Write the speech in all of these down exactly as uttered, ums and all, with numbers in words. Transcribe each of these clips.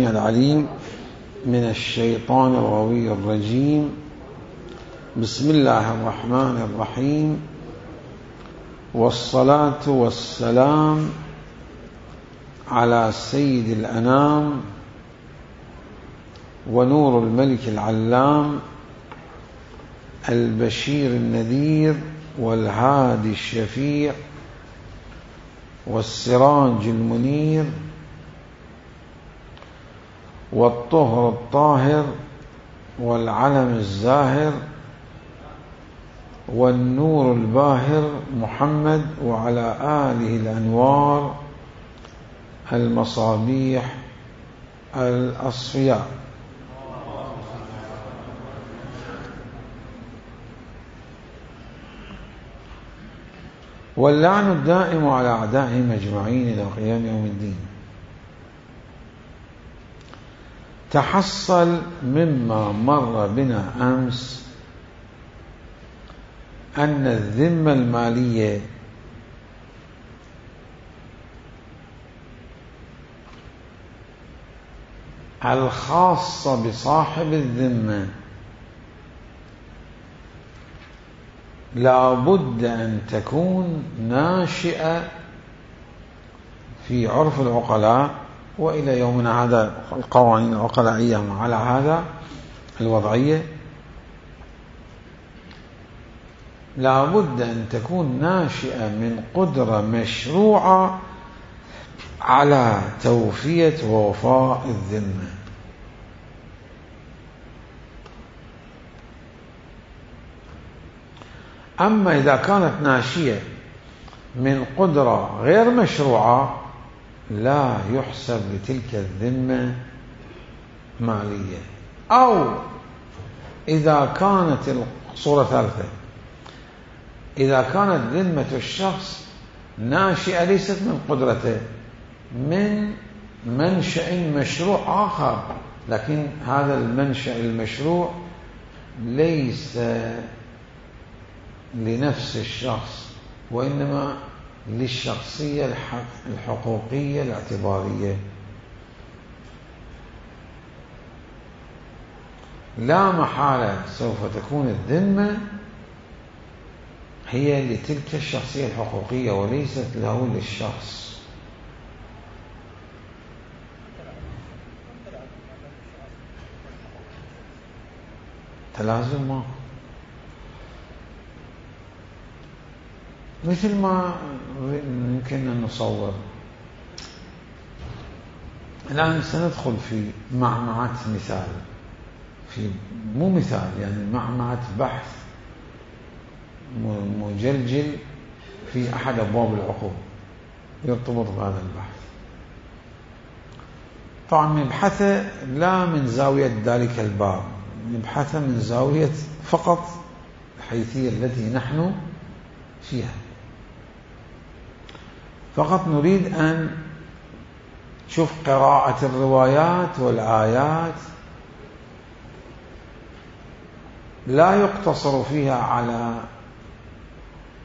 العليم من الشيطان الغوي الرجيم. بسم الله الرحمن الرحيم، والصلاة والسلام على سيد الأنام ونور الملك العلام البشير النذير والهادي الشفيع والسراج المنير والطهر الطاهر والعلم الزاهر والنور الباهر محمد وعلى آله الأنوار المصابيح الأصفياء. واللعن الدائم على أعدائهم أجمعين إلى قيام يوم الدين. تحصل مما مر بنا أمس أن الذمة المالية الخاصة بصاحب الذمة لا بد أن تكون ناشئة في عرف العقلاء، وإلى يومنا هذا القوانين العقلائية على هذا الوضعية لا بد أن تكون ناشئة من قدرة مشروعة على توفية ووفاء الذمة. أما إذا كانت ناشئة من قدرة غير مشروعة لا يحسب لتلك الذمة مالية. أو إذا كانت الصورة ثالثة، إذا كانت ذمة الشخص ناشئة ليست من قدرته، من منشأ مشروع آخر، لكن هذا المنشأ المشروع ليس لنفس الشخص وإنما للشخصية الحقوقية الاعتبارية، لا محالة سوف تكون الذمة هي لتلك الشخصية الحقوقية وليست له للشخص. تلازم ما مثل ما يمكن أن نصور. الآن سندخل في معمعة مثال، في مو مثال يعني معمعة بحث مجلجل في أحد أبواب العقوق يرتبط بهذا البحث. طبعا نبحثه لا من زاوية ذلك الباب، نبحثه من زاوية فقط الحيثية التي نحن فيها. فقط نريد أن نشوف قراءة الروايات والآيات، لا يقتصر فيها على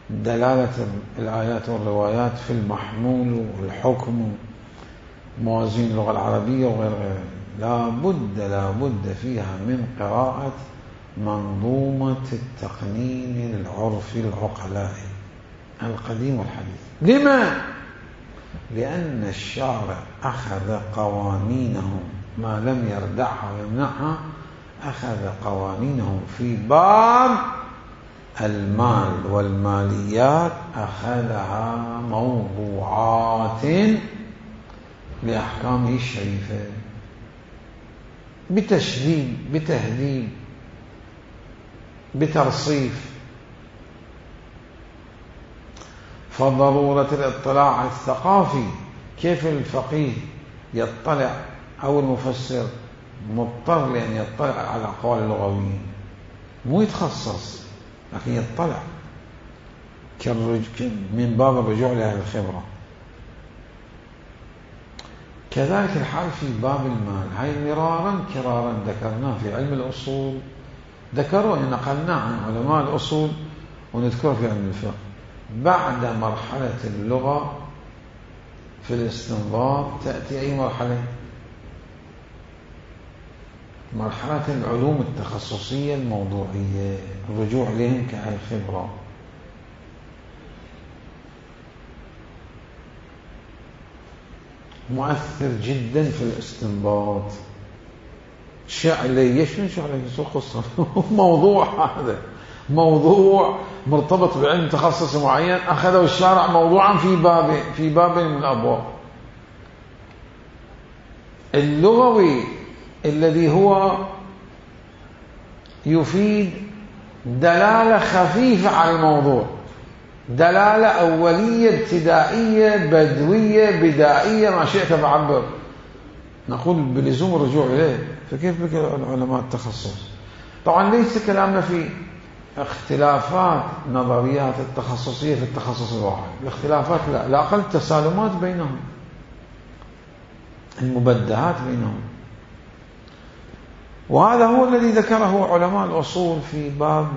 دلالة الآيات والروايات في المحمول والحكم موازين اللغة العربية وغير غير لا بد لا بد فيها من قراءة منظومة التقنين العرفي العقلائي القديم والحديث. لما؟ لأن الشارع أخذ قوانينهم ما لم يردعها ويمنعها، أخذ قوانينهم في باب المال والماليات، أخذها موضوعات لأحكامه الشريفة بتشديد بتهذيب بترصيف. فضرورة الاطلاع الثقافي، كيف الفقيه يطلع أو المفسر مضطر لأن يطلع على أقوال اللغويين، مو يتخصص لكن يطلع من باب الرجوع لأهل الخبرة. كذلك الحال في باب المال، هاي مرارا كرارا ذكرناه في علم الأصول، ذكروا أن نقلنا عن علماء الأصول ونذكر في علم الفقه. بعد مرحلة اللغة في الاستنباط تأتي أي مرحلة؟ مرحلة العلوم التخصصية الموضوعية، الرجوع إليهم كأهل خبرة. مؤثر جدا في الاستنباط. شعلي شنو شعلي شو قصة موضوع هذا موضوع مرتبط بعلم تخصص معين، أخذوا الشارع موضوعا في باب في باب من الأبواب. اللغوي الذي هو يفيد دلالة خفيفة على الموضوع، دلالة أولية ابتدائية بدوية بدائية ما شئت بعبر، نقول بلزوم الرجوع إليه. فكيف بك علماء التخصص؟ طبعا ليس كلامنا في اختلافات نظريات التخصصية في التخصص الواحد، الاختلافات لا، لا أقل تسالمات بينهم، المبدهات بينهم. وهذا هو الذي ذكره علماء الأصول في باب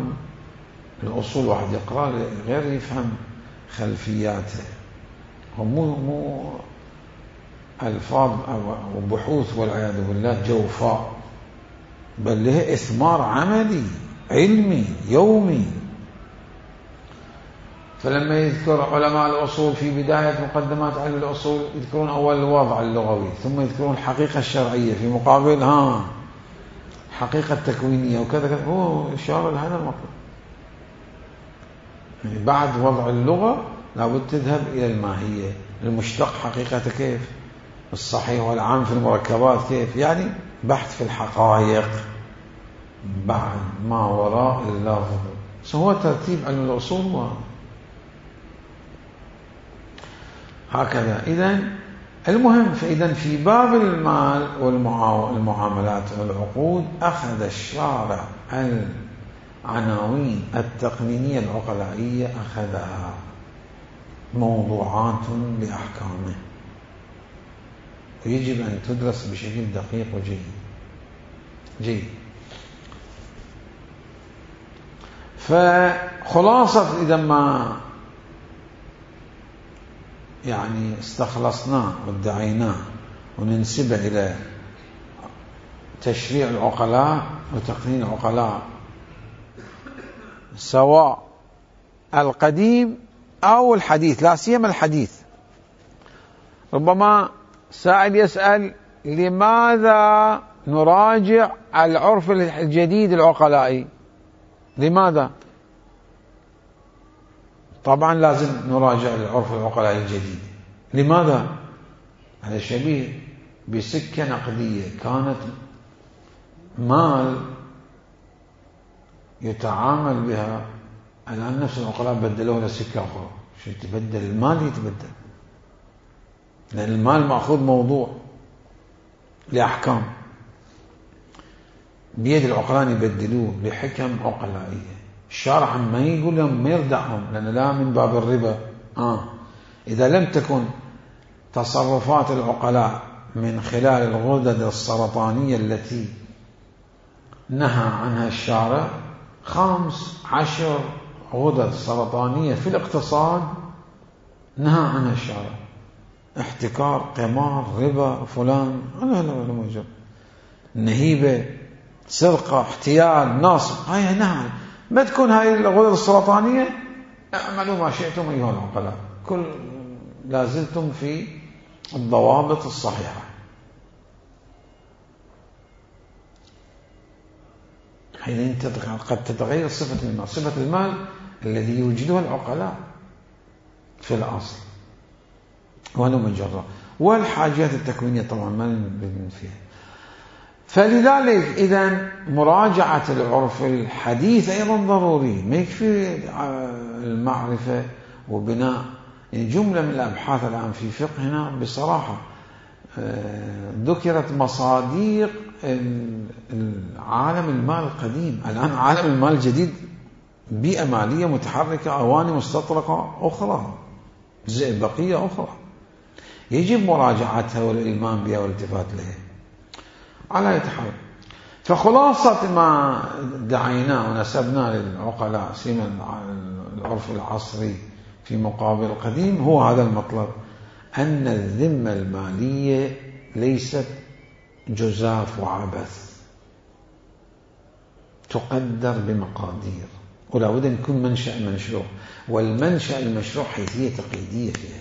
الأصول. واحد يقرأ غير يفهم خلفياته، هم مو مو ألفاظ أو بحوث والعياذ بالله جوفاء، بل له إثمار عملي علمي يومي. فلما يذكر علماء الأصول في بداية مقدمات علم الأصول يذكرون أول الوضع اللغوي، ثم يذكرون الحقيقة الشرعية في مقابل ها حقيقة تكوينية وكذا كذا. هو إشارة لهذا المطلب. يعني بعد وضع اللغة لابد تذهب إلى الماهية، المشتق حقيقته كيف، الصحيح والعام في المركبات كيف، يعني بحث في الحقائق بعد ما وراء اللفظ. هو ترتيب علم الأصول هكذا. إذن المهم، فإذا في باب المال والمعاملات والعقود أخذ الشارع العناوين التقنينية العقلائية، أخذها موضوعات لأحكامه، ويجب أن تدرس بشكل دقيق وجيد جيد. فخلاصة إذا ما يعني استخلصناه وادعيناه وننسبه إلى تشريع العقلاء وتقنين العقلاء، سواء القديم أو الحديث، لا سيما الحديث. ربما سائل يسأل لماذا نراجع العرف الجديد العقلائي؟ لماذا؟ طبعا لازم نراجع العرف العقلائي الجديد. لماذا؟ هذا شبيه بسكة نقدية كانت مال يتعامل بها، الآن نفس العقلاء بدلوها لسكة أخرى. شو يتبدل؟ المال يتبدل، لأن المال مأخوذ موضوع لأحكام، بيد العقلاء يبدلوه لحكم عقلائية. الشارع ما يقول لهم ما يردعهم، لأن لا من باب الربا. آه إذا لم تكن تصرفات العقلاء من خلال الغدد السرطانية التي نهى عنها الشارع، خمس عشر غدد سرطانية في الاقتصاد نهى عنها الشارع، احتكار، قمار، ربا، فلان، لا لا ولا موجود، نهيبة، سرقة، احتيال، نصب، هاي نهى. ما تكون هاي الغدد السرطانية اعملوا ما شئتم أيها العقلاء، كل لازلتم في الضوابط الصحيحة. حين قد تتغير صفة المال، صفة المال الذي يوجدها العقلاء في الأصل وأنا مجرد، والحاجات التكوينية طبعا ما نبين فيها. فلذلك إذن مراجعة العرف الحديث أيضا ضروري، ما يكفي المعرفة وبناء. يعني جملة من الأبحاث الآن في فقهنا بصراحة ذكرت مصاديق عالم المال القديم. الآن عالم المال الجديد بيئة مالية متحركة، أواني مستطرقة أخرى، بقية أخرى يجب مراجعتها والإلمام بها والالتفات لها على يتحول. فخلاصة ما دعيناه ونسبناه للعقلاء سيما العرف العصري في مقابل القديم هو هذا المطلب، أن الذمة المالية ليست جزاف وعبث، تقدر بمقادير، ولا بد أن يكون منشأ مشروع، والمنشأ المشروع حيثية تقييدية فيها.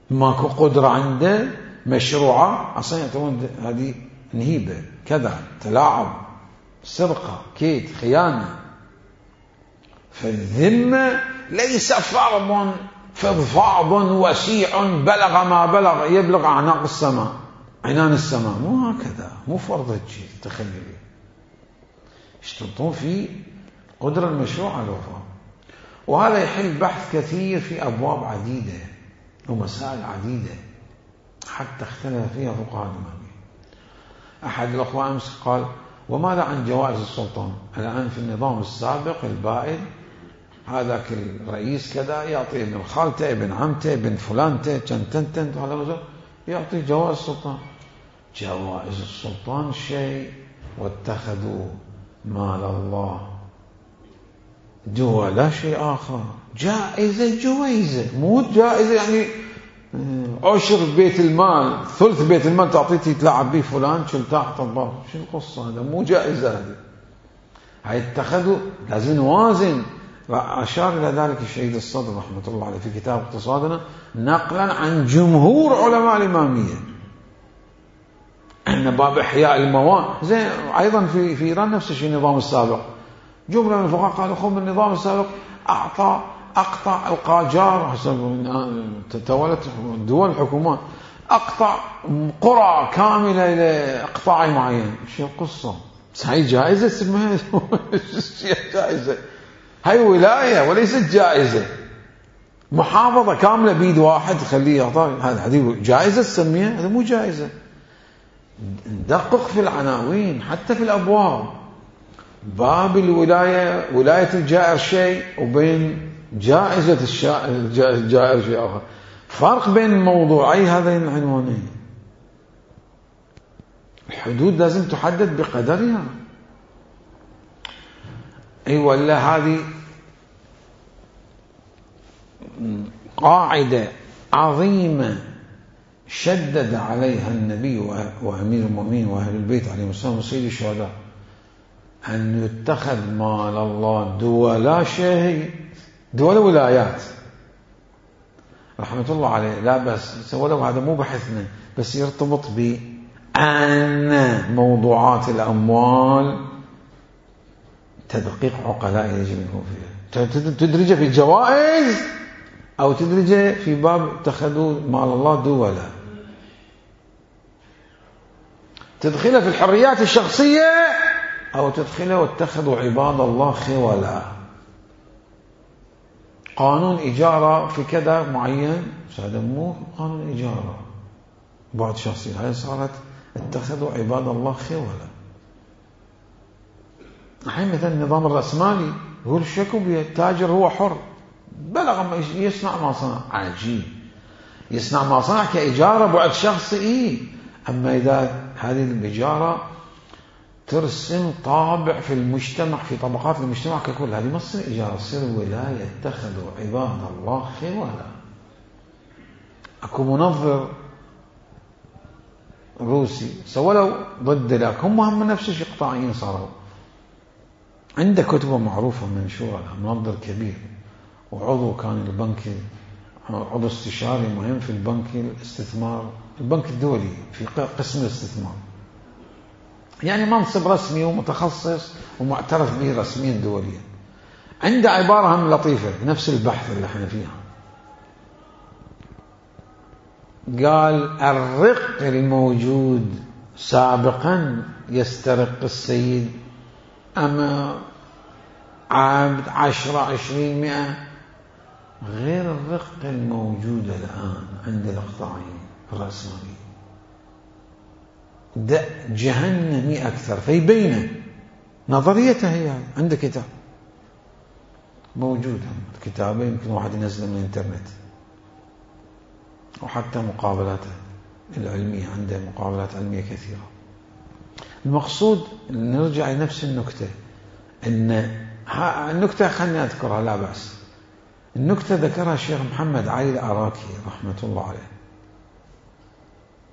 ماكو قدرة عنده مشروعة أصلا يعتبرون هذه نهيبة، كذا، تلاعب، سرقة، كيد، خيانة. فالذمة ليس فرض فضفاض وسيع بلغ ما بلغ يبلغ أعناق السماء عنان السماء، مو هكذا، مو فرض هالشيء. تخيلي يشترطون في قدرة المشروع على الوفاء. وهذا يحل بحث كثير في أبواب عديدة ومسائل عديدة حتى اختلف فيها فقهاء الإمامية. أحد الأخوة أمس قال: وماذا عن جوائز السلطان؟ الآن في النظام السابق البائد هذاك الرئيس كذا يعطي ابن خالته، ابن عمته، ابن فلانته، تنتنتن، هذا مثلا يعطي جوائز السلطان. جوائز السلطان شيء، واتخذوا مال الله دولا شيء آخر. جائزة جوائزة، مو جائزة يعني عشر بيت المال، ثلث بيت المال تعطيتي تلعب به فلان شلتاح طباخ، شو القصة؟ هذا مو جائزة. هذه هاي اتخذوا، لازم نوازن. أشار إلى ذلك الشهيد الصدر رحمة الله عليه في كتاب اقتصادنا نقلا عن جمهور علماء الإمامية أن باب إحياء المواد زين. أيضا في في إيران نفس الشيء النظام السابق، جملة من الفقهاء قالوا خذ النظام السابق أعطى أقطع القاجار حسب تولت دول الحكومات، أقطع قرى كاملة إلى إقطاع معين. شو القصة؟ هاي جائزة اسمها جائزة، هاي ولاية وليست جائزة. محافظة كاملة بيد واحد خليه يعطى، هذا هذه جائزة تسميها؟ هذا مو جائزة. ندقق في العناوين حتى في الأبواب. باب الولاية، ولاية الجائر شيء، وبين جائزة الجائر شيء آخر. فرق بين موضوعي هذين العنوانين. الحدود لازم تحدد بقدرها. أي ولا هذه قاعدة عظيمة شدد عليها النبي وأمير المؤمنين وأهل البيت عليهم السلام وسيد الشهداء، أن يتخذ مال الله دولا شيء، دول ولايات رحمة الله عليه. لا بس ولو هذا مو بحثنا، بس يرتبط بأن موضوعات الأموال تدقيق عقلاء يجب أن يكون فيها. تدرجه في الجوائز أو تدرجه في باب اتخذوا مال الله دولا، تدخله في الحريات الشخصية أو تدخله واتخذوا عباد الله خولا. قانون إجارة في كذا معين، هذا مو قانون إجارة بعد شخصي، هاي صارت اتخذوا عباد الله خولا. الحين مثلا النظام الرأسمالي يقول الشيكو التاجر هو حر، بلغ ما يصنع ما صنع. عجيب، يصنع ما صنع كإجارة بعد شخصي إيه؟ أما إذا هذه الإجارة ترسم طابع في المجتمع، في طبقات المجتمع ككل، هذه ما تصير إجارة، تصير ولاية. اتخذوا عباد الله خولا. أكو منظر روسي سولوا ضد ذاك، هم هم نفس الشيء قطاعيين صاروا. عنده كتبه معروفة منشورة، منظر كبير، وعضو كان البنك، عضو استشاري مهم في البنك الاستثمار، البنك الدولي في قسم الاستثمار، يعني منصب رسمي ومتخصص ومعترف به رسميا دوليا. عنده عبارة هم لطيفة نفس البحث اللي احنا فيها. قال الرق الموجود سابقا يسترق السيد، أما عبد عشرة عشرين مئة، غير الرق الموجود الآن عند الإقطاعيين الرأسماليين. ده جهنمي أكثر. فيبينه نظريته هي عنده كتاب موجود، كتابه يمكن واحد ينزله من الانترنت، وحتى مقابلاته العلمية عنده مقابلات علمية كثيرة. المقصود نرجع لنفس النكتة، إن النكتة خلني أذكرها لا بأس. النكتة ذكرها الشيخ محمد علي العراكي رحمة الله عليه،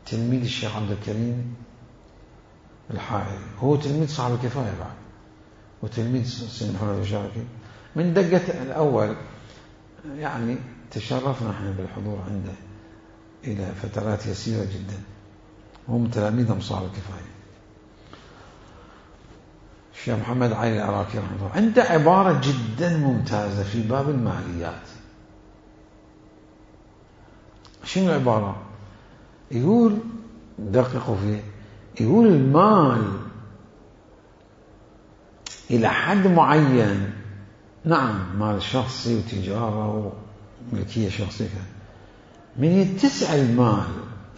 تلميذ الشيخ عبد الكريم الحائري، هو تلميذ صاحب الكفاية بعد. وتلميذ سيد محمد الشاركي. من دقة الأول يعني تشرفنا احنا بالحضور عنده إلى فترات يسيرة جدا، هم تلاميذ مصعب الكفاية. الشيخ محمد علي العراقي رحمه الله عنده عبارة جدا ممتازة في باب الماليات. شنو العبارة؟ يقول دققوا فيه، يقول المال إلى حد معين، نعم مال شخصي وتجارة وملكية شخصية، من يتسع المال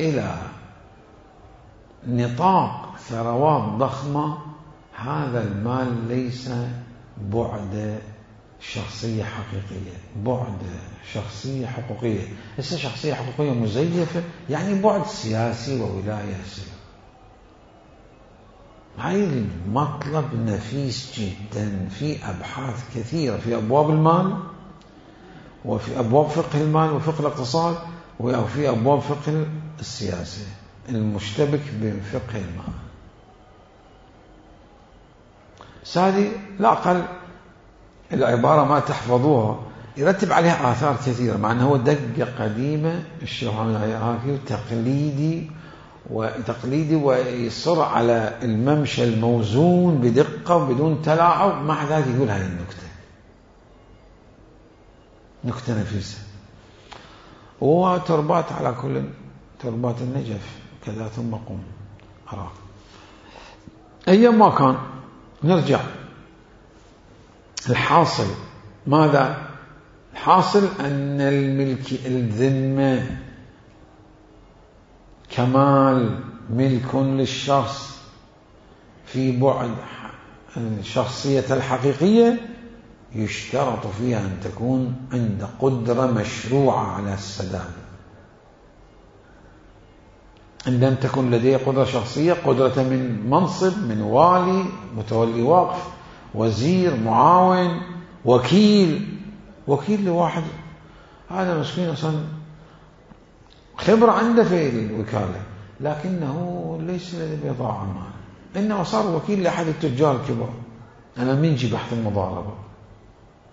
إلى نطاق ثروات ضخمة، هذا المال ليس بعد شخصية حقيقية، بعد شخصية حقوقية. ليس شخصية حقوقية مزيفة، يعني بعد سياسي وولاية سياسية. هاي المطلب نفيس جدا في أبحاث كثيرة في أبواب المال، وفي أبواب فقه المال وفقه الاقتصاد، وفي أبواب فقه السياسة المشتبك بفقه المال. هذه لا أقل العبارة ما تحفظوها يرتب عليها آثار كثيرة، مع أنه هو دقة قديمة الشيخ محمد العراقي تقليدي وتقليدي ويصر على الممشى الموزون بدقة وبدون تلاعب، مع ذلك يقول هذه النكتة، نكتة نفيسة. وتربات على كل تربات النجف كذا ثم قم عراق. أيام ما كان نرجع الحاصل ماذا؟ الحاصل أن الملك الذمة كمال ملك للشخص في بعد الشخصية الحقيقية، يشترط فيها أن تكون عند قدرة مشروعة على السداد. عندما تكون لديه قدرة شخصية، قدرة من منصب، من والي، متولي وقف، وزير، معاون، وكيل. وكيل لواحد هذا مسكين أصلا خبرة عنده في الوكالة، لكنه ليس لديه بضاعة مال، إنما صار وكيل لأحد التجار الكبار. أنا من جي بحث المضاربة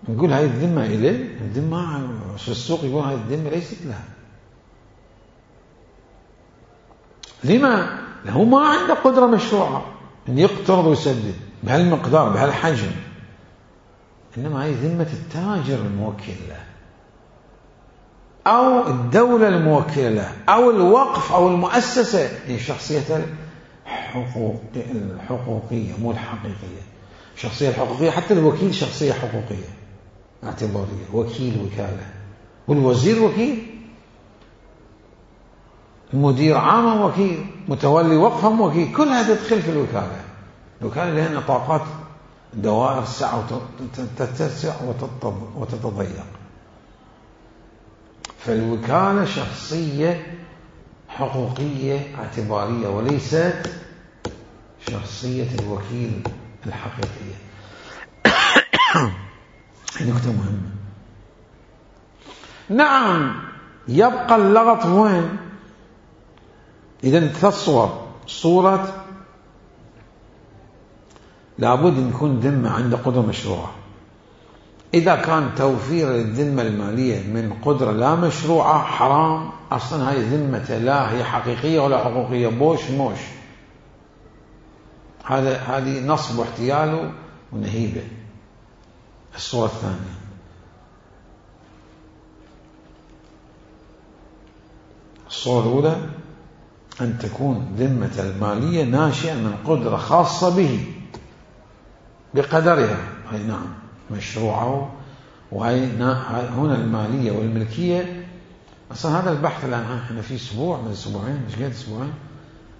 نقول هاي الذمة إليه، الذمة في السوق يقول هاي الذمة ليست لها. لما؟ له ما عنده قدرة مشروعة أن يقترض ويسدد بهالمقدار بهالحجم، إنما هاي ذمة التاجر الموكل له، أو الدولة الموكلة له، أو الوقف أو المؤسسة. هي شخصية الحقوقية مو الحقيقية. الشخصية الحقوقية حتى الوكيل شخصية حقوقية اعتبارية، وكيل وكالة، والوزير وكيل، مدير عام وكيل، متولي وقف وكيل، كل هذا تدخل في الوكالة. الوكالة لها نطاقات دوائر سعة وتتسع وتتضيق. فالوكالة شخصية حقوقية اعتبارية وليست شخصية الوكيل الحقيقية. نكتة مهمة. نعم يبقى اللغط وين؟ إذا تصور صورة لابد أن يكون ذمة عنده قدرة مشروعة. إذا كان توفير الذمة المالية من قدرة لا مشروعة حرام، أصلا هاي ذمة لا هي حقيقية ولا حقوقية، بوش موش. هذا هذه نصب واحتيال ونهيبة. الصورة الثانية الصورة الأولى أن تكون ذمة المالية ناشئة من قدرة خاصة به بقدرها، هاي نعم مشروعه. وهي هنا المالية والملكية. أصلا هذا البحث الآن احنا في أسبوع من أسبوعين مش قد أسبوعين،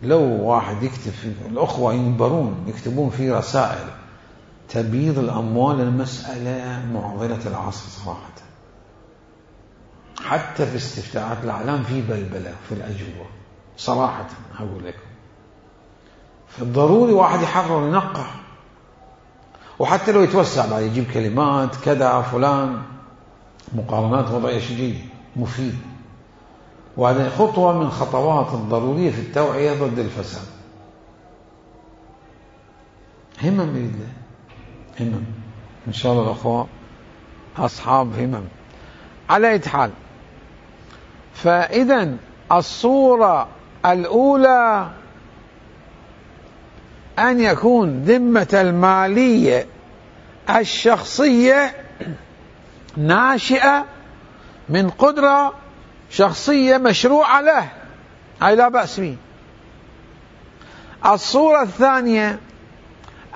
لو واحد يكتب في الأخوة ينبرون يكتبون في رسائل تبييض الأموال، المسألة معضلة العصر صراحة. حتى في استفتاءات الأعلام في بلبلة في الأجوبة صراحة أقول لكم. فالضروري واحد يحرر ينقح، وحتى لو يتوسع بعد يجيب كلمات كذا فلان، مقارنات وضعية شيء مفيد. وهذه خطوة من خطوات الضرورية في التوعية ضد الفساد. همم بإذن الله. همم. إن شاء الله الأخوة أصحاب همم. على أي حال، فإذا الصورة الأولى أن يكون ذمة المالية الشخصية ناشئة من قدرة شخصية مشروعة له، أي لا بأس به. الصورة الثانية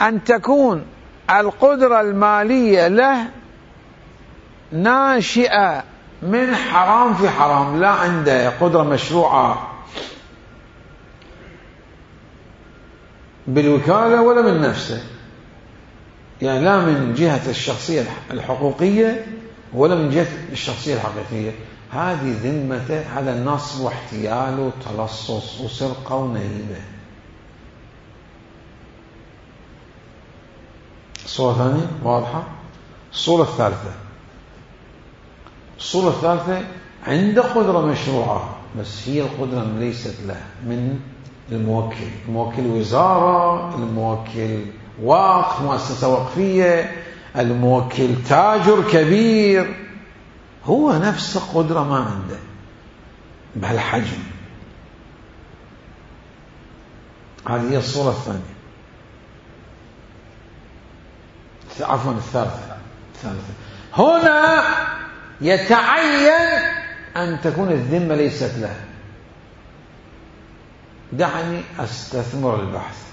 أن تكون القدرة المالية له ناشئة من حرام في حرام، لا عنده قدرة مشروعة بالوكالة ولا من نفسه، يعني لا من جهة الشخصية الحقوقية ولا من جهة الشخصية الحقيقية. هذه ذمته، هذا نصب واحتيال وتلصص وسرقة ونهيبة. الصورة الثانية واضحة. الصورة الثالثة الصورة الثالثة عنده قدرة مشروعة، بس هي القدرة ليست له، من الموكل، الموكل وزارة، الموكل وقف، مؤسسة وقفية، الموكل تاجر كبير، هو نفس قدرة ما عنده بهالحجم. هذه هي الصورة الثانية. عفوا الثالثة الثالثة هنا يتعين أن تكون الذمة ليست له. دعني أستثمر البحث.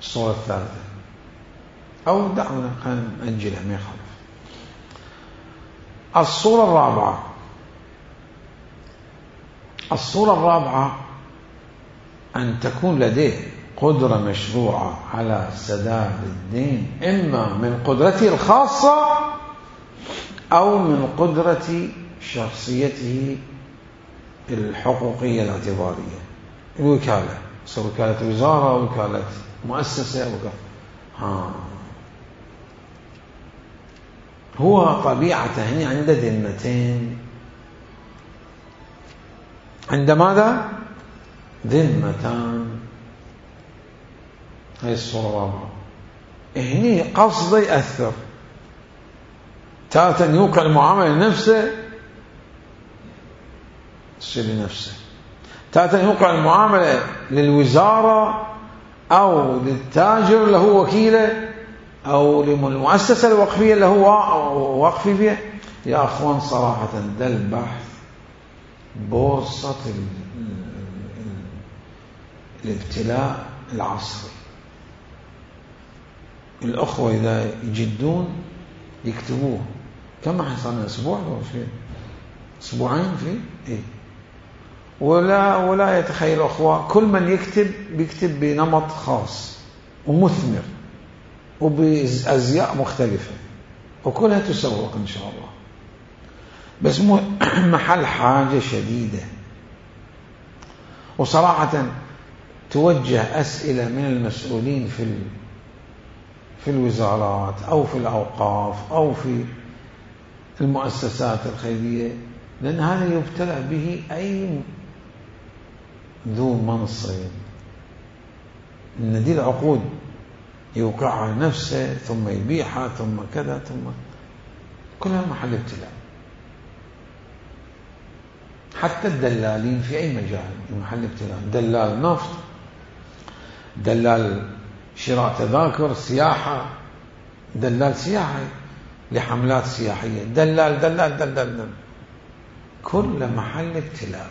الصورة الثالثة، أو دعونا نأجلها ما يخالف. الصورة الرابعة الصورة الرابعة أن تكون لديه قدرة مشروعة على سداد الدين، إما من قدرته الخاصة أو من قدرة شخصيته الحقوقية الاعتبارية، الوكالة، صار وكالة وزارة، وكالة مؤسسة، وكالة. ها هو طبيعته هنا عنده ذمتين. عند ماذا؟ ذمتان. هاي الصورة الرابعة. هني قصده يأثر، تارة يوقع المعاملة لنفسه تصير لنفسه، تارة يوقع المعاملة للوزارة أو للتاجر اللي هو وكيله أو للمؤسسة الوقفية اللي هو وقفي فيها. يا أخوان صراحة ده البحث بورصة الابتلاء العصري. الأخوة إذا يجدون يكتبوه. كم حصلنا؟ أسبوع أو شيء، أسبوعين في إيه. ولا ولا يتخيل أخوة كل من يكتب بيكتب بنمط خاص ومثمر وبأزياء مختلفة، وكلها تسوق إن شاء الله، بس مو محل حاجة شديدة. وصراحة توجه أسئلة من المسؤولين في في الوزارات أو في الأوقاف أو في المؤسسات الخيرية، لأن هذا يبتلى به أي ذو منصب، إن دي العقود يوقعها نفسه ثم يبيعها ثم كذا ثم كلها محل ابتلاء. حتى الدلالين في أي مجال محل ابتلاء. دلال نفط، دلال شراء تذاكر سياحة، دلال سياحي لحملات سياحية، دلال دلال دلال, دلال. كل محل ابتلاء.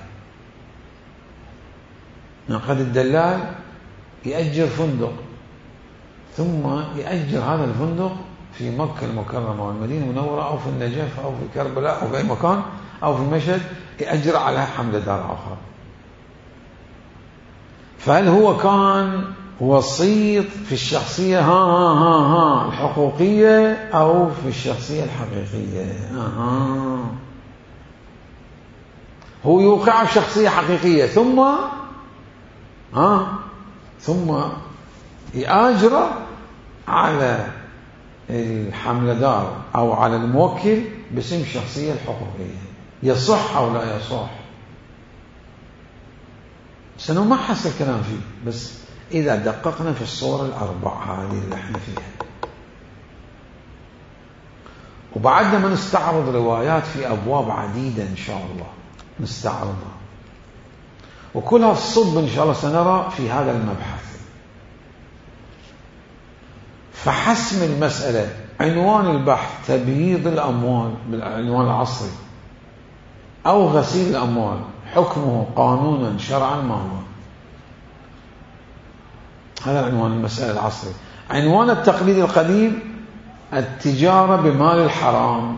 قد الدلال يأجر فندق ثم يأجر هذا الفندق في مكة المكرمة والمدينة المنورة أو في النجف أو في كربلاء أو في أي مكان أو في مشهد، يأجر على حملة دار أخرى. فهل هو كان وسيط في الشخصية ها ها ها ها الحقوقية أو في الشخصية الحقيقية؟ آه. هو يوقع شخصية حقيقية ثم آه ثم يأجر على الحملة دار أو على الموكل باسم الشخصية الحقوقية. يصح أو لا يصح؟ سنو ما حس الكلام فيه، بس إذا دققنا في الصور الأربع هذه اللي احنا فيها. وبعدنا ما نستعرض روايات في أبواب عديدة إن شاء الله نستعرضها، وكلها الصب إن شاء الله سنرى في هذا المبحث. فحسم المسألة، عنوان البحث تبييض الأموال بالعنوان العصري أو غسيل الأموال، حكمه قانونا شرعا ما هو؟ هذا عنوان المسألة العصري. عنوان التقليد القديم التجارة بمال الحرام،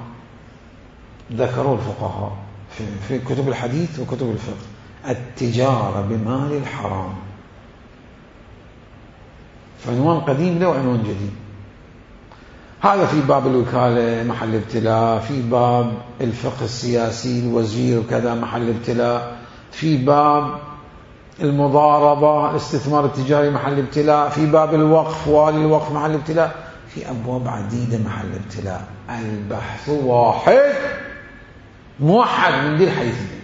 ذكروا الفقهاء في, في كتب الحديث وكتب الفقه، التجارة بمال الحرام. فعنوان قديم له وعنوان جديد. هذا في باب الوكالة محل ابتلاء، في باب الفقه السياسي الوزير وكذا محل ابتلاء، في باب المضاربة الاستثمار التجاري محل ابتلاء، في باب الوقف والي الوقف محل ابتلاء، في أبواب عديدة محل ابتلاء. البحث واحد موحد من ذي الحيثية.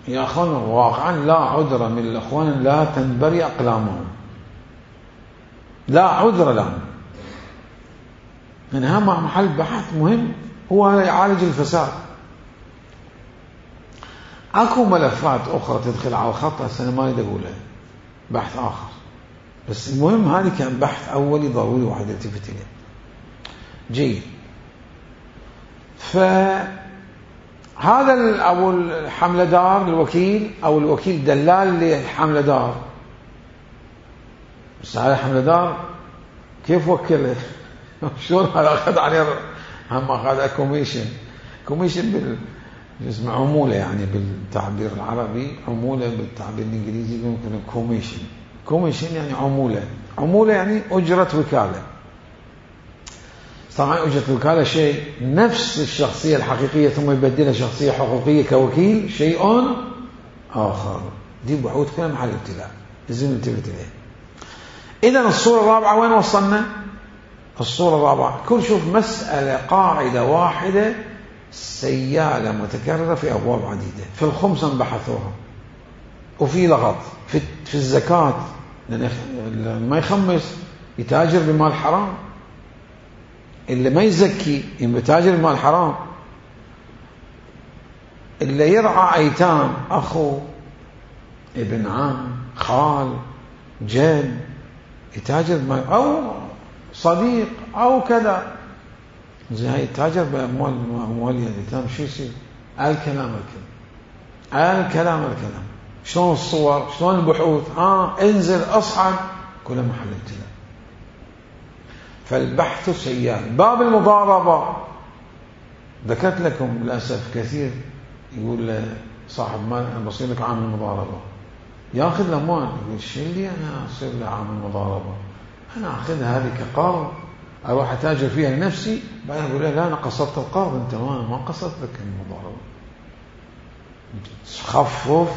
يا أخوان واقعا لا عذر من الأخوان لا تنبري أقلامهم، لا عذر لهم، لأن هذا محل بحث مهم، هو يعالج الفساد. أكو ملفات أخرى تدخل على الخط هسه أنا ما أريد أقولها، بحث آخر، بس المهم هذه كان بحث أولي ضروري واحد يلتفت إليه. جيد. فهذا أو الحملة دار الوكيل أو الوكيل دلال للحملة دار، بس هذا الحملة دار كيف وكله؟ شلون هذا أخذ عليه؟ هم أخذ كوميشن، كوميشن بال اسمه عمولة يعني بالتعبير العربي، عمولة بالتعبير الإنجليزي ممكن كوميشن. كوميشن يعني عمولة، عمولة يعني أجرة وكالة. طبعا أجرة الوكالة شيء، نفس الشخصية الحقيقية ثم يبدلها شخصية حقوقية كوكيل شيء آخر. دي بحوث كلام محل ابتلاء لازم ننتبه إليه. إذا الصورة الرابعة وين وصلنا؟ الصورة الرابعة كل شوف مسألة قاعدة واحدة سيالة متكررة في أبواب عديدة. في الخمس بحثوها، وفي لغط في في الزكاة، لأن ما يخمس يتاجر بمال حرام، اللي ما يزكي يتاجر بمال حرام، اللي يرعى أيتام أخو ابن عم خال جد يتاجر بمال، أو صديق أو كذا، زي هاي التاجر بأموال أموال الأيتام. شو يصير؟ الكلام الكلام الكلام الكلام شلون الصور، شلون البحوث، آه انزل أصعد، كل محل ابتلاء. فالبحث سيال. باب المضاربة ذكرت لكم للأسف كثير يقول صاحب مال أنا بصير لك عامل مضاربة، ياخذ الأموال، يقول شو اللي أنا أصير لي عامل مضاربة؟ أنا أخذها هذه كقرض أروح أتاجر فيها لنفسي، بعدين أقول له لا أنا قصدت القرض، أنت ما ما قصدت لك المضاربة. خفف،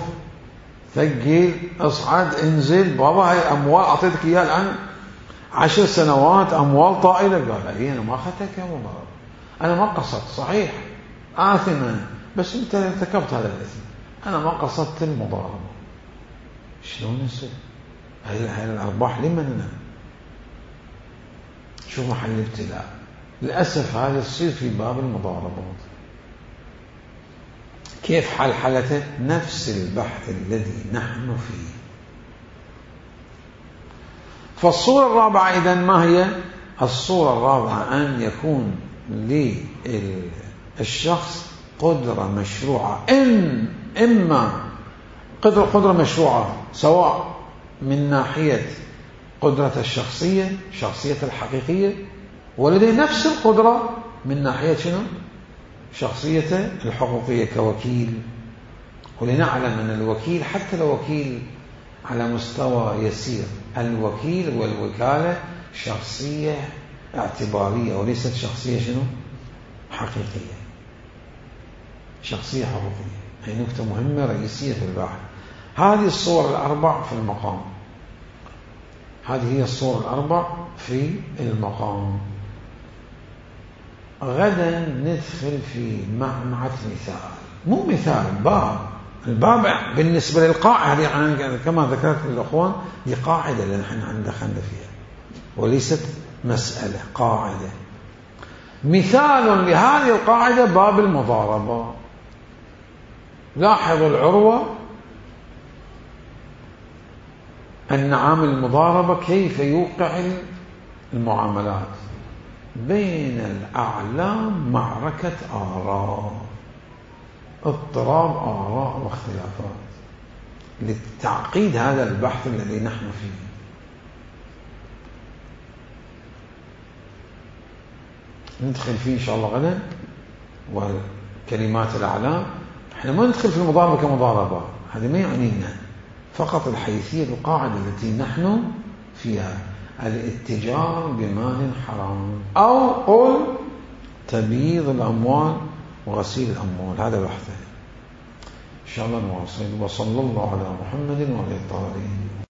ثقل، اصعد، انزل، بابا هاي أموال أعطيتك إياها الآن عشر سنوات، أموال طائلة. قال إيه أنا ما أخذتك يا مضاربة، أنا ما قصدت، صحيح آثما بس أنت ارتكبت هذا الإثم، أنا ما قصدت المضاربة. شلون يصير؟ هاي الأرباح لمن أنا؟ شو محل الابتلاء؟ للأسف هذا يصير في باب المضاربات. كيف حل حالته؟ نفس البحث الذي نحن فيه. فالصورة الرابعة إذن ما هي؟ الصورة الرابعة أن يكون للشخص قدرة مشروعة، إن إما قدرة قدرة مشروعة سواء من ناحية قدرة الشخصية شخصية الحقيقية، ولديه نفس القدرة من ناحية شنو؟ شخصيته الحقوقية كوكيل. ولنعلم أن الوكيل حتى لو وكيل على مستوى يسير، الوكيل والوكالة شخصية اعتبارية وليست شخصية شنو؟ حقيقية، شخصية حقوقية. هي نقطة مهمة رئيسية في البحث. هذه الصور الأربع في المقام، هذه هي الصور الأربع في المقام. غدا ندخل في معمعة مثال، مو مثال، باب الباب بالنسبة للقاعدة هذه كما ذكرت للأخوان هي قاعدة اللي نحن عندنا خلنا فيها وليست مسألة، قاعدة. مثال لهذه القاعدة باب المضاربة. لاحظوا العروة أن عامل المضاربة كيف يوقع المعاملات بين الأعلام، معركة آراء، اضطراب آراء واختلافات لتعقيد هذا البحث الذي نحن فيه. ندخل فيه إن شاء الله غدا وكلمات الأعلام. احنا ما ندخل في المضاربة كمضاربة، هذا ما يعنينا، فقط الحيثية القاعدة التي نحن فيها، الاتجار بمال حرام أو قل تبييض الأموال وغسيل الأموال، هذا بحثه إن شاء الله نواصل. وصلى الله على محمد وعلى آله الطاهرين.